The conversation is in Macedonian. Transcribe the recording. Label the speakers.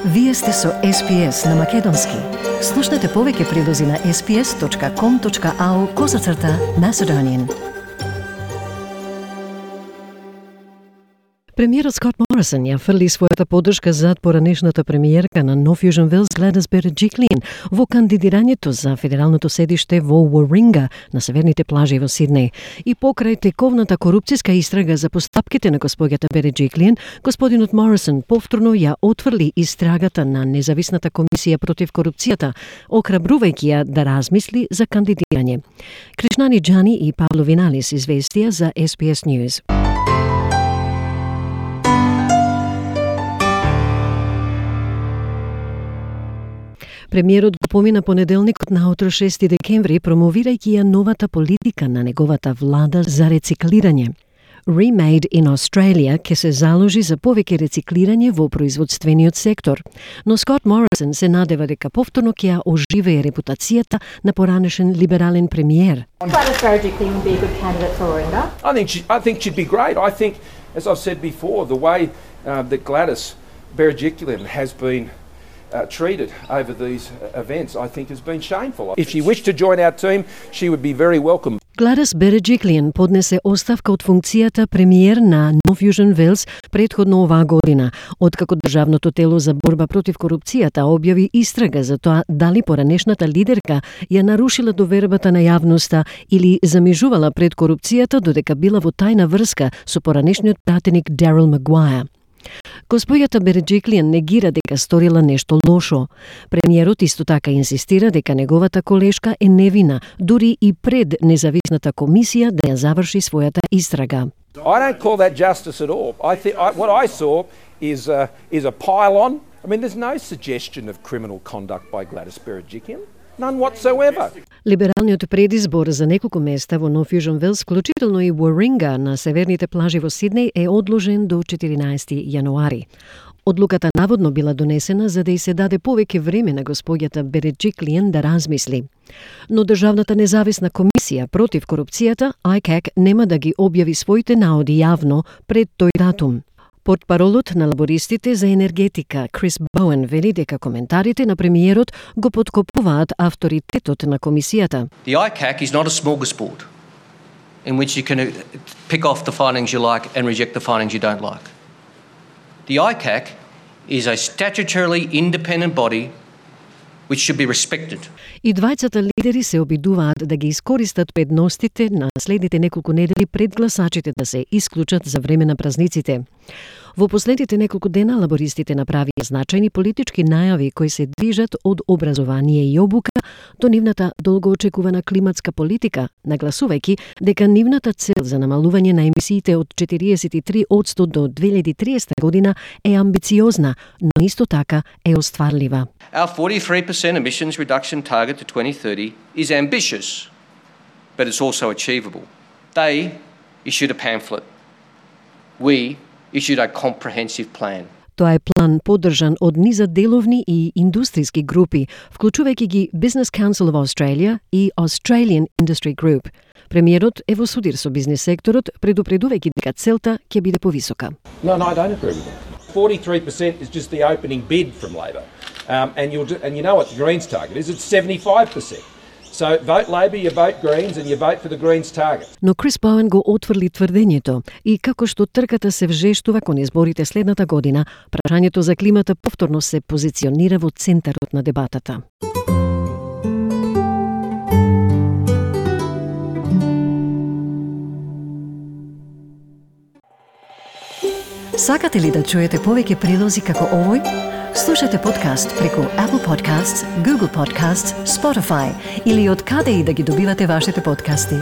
Speaker 1: Вие сте со SPS на Македонски. Слушнете повеќе прилози на sps.com.au/Macedonian. Премиерот Скот Морисон ја фрли својата поддршка зад поранешната премиерка на North Fusion Wills Gladys Berejiklian во кандидирањето за федералното седиште во Warringah на северните плажи во Сиднеј. И покрај тековната корупцијска истрага за постапките на господјата Berejiklian, господинот Морисон повторно ја отфрли истрагата на независната комисија против корупцијата, охрабрувајќи ја да размисли за кандидирање. Кришнани Џани и Пабло Виналис известија за SPS News. Премиерот го помина понеделникот наутро 6 декември, промовирајќи ја новата политика на неговата влада за рециклирање. Remade in Australia ке се заложи за повеќе рециклирање во производствениот сектор, но Скот Морисон се надева дека повторно ќе ја оживее репутацијата на поранешен либерален премиер.
Speaker 2: Gladys Berejiklian would be a good candidate for Warringah.
Speaker 3: I think she'd be great. I think, as I've said before, the way that Gladys Berejiklian has been treated over these events, I think has been shameful. If she wished to join our team, she would be very welcome.
Speaker 1: Gladys Berejiklian поднесе оставка од функцијата премиер на North Fusion Wills претходно оваа година, откако Државното тело за борба против корупцијата објави истрага за тоа дали поранешната лидерка ја нарушила довербата на јавноста или замижувала пред корупцијата додека била во тајна врска со поранешниот пратеник Daryl Maguire. Господјата Berejiklian негира дека сторила нешто лошо. Премиерот исто така инсистира дека неговата колешка е невина, дури и пред независната комисија да ја заврши својата истрага.
Speaker 3: I don't call that justice at all. What I saw is a pile-on. I mean, there's no suggestion of criminal conduct by Gladys Berejiklian. None whatsoever.
Speaker 1: Либералниот предизбор за неколку места во North Fusion Wills, вклучително и Warringah на северните плажи во Сиднеј, е одложен до 14 јануари. Одлуката наводно била донесена за да и се даде повеќе време на господјата Berejiklian да размисли. Но Државната независна комисија против корупцијата, ICAC, нема да ги објави своите наоди јавно пред тој датум. Портпаролот на лабористите за енергетика Крис Боуен вели дека коментарите на премиерот го поткопуваат авторитетот на комисијата.
Speaker 4: The ICAC is not a smorgasbord in which you can pick off the findings you like and reject the findings you don't like. The ICAC is a statutorily independent body which should be respected.
Speaker 1: И двајцата лидери се обидуваат да ги искористат предностите на следните неколку недели пред гласачите да се исклучат за време на празниците. Во последните неколку дена лабористите направија значајни политички најави кои се движат од образование и обука до нивната долгоочекувана климатска политика, нагласувајќи дека нивната цел за намалување на емисиите од 43% до 2030 година е амбициозна, но исто така е остварлива.
Speaker 4: Our 43% emissions reduction target to 2030 is ambitious, but it's also achievable. They issued a pamphlet. We issued a comprehensive plan.
Speaker 1: Тоа е план поддржан од низа деловни и индустријски групи, вклучувајќи ги Business Council of Australia и Australian Industry Group. Премиерот е во судир со бизнес секторот, предупредувајќи дека целта ќе биде повисока.
Speaker 3: No, I don't agree with that. 43% is just the opening bid from Labor. And you know what the Greens target is, it's 75%. So vote Labor, you vote Greens and you vote for the Greens target.
Speaker 1: Но Крис Боуен го отврли тврдењето и како што трката се вжештува кон изборите следната година, прашањето за климата повторно се позиционира во центарот на дебатата. Сакате ли да чуете повеќе прилози како овој? Слушате подкаст преку Apple Podcasts, Google Podcasts, Spotify или од каде и да ги добивате вашите подкасти.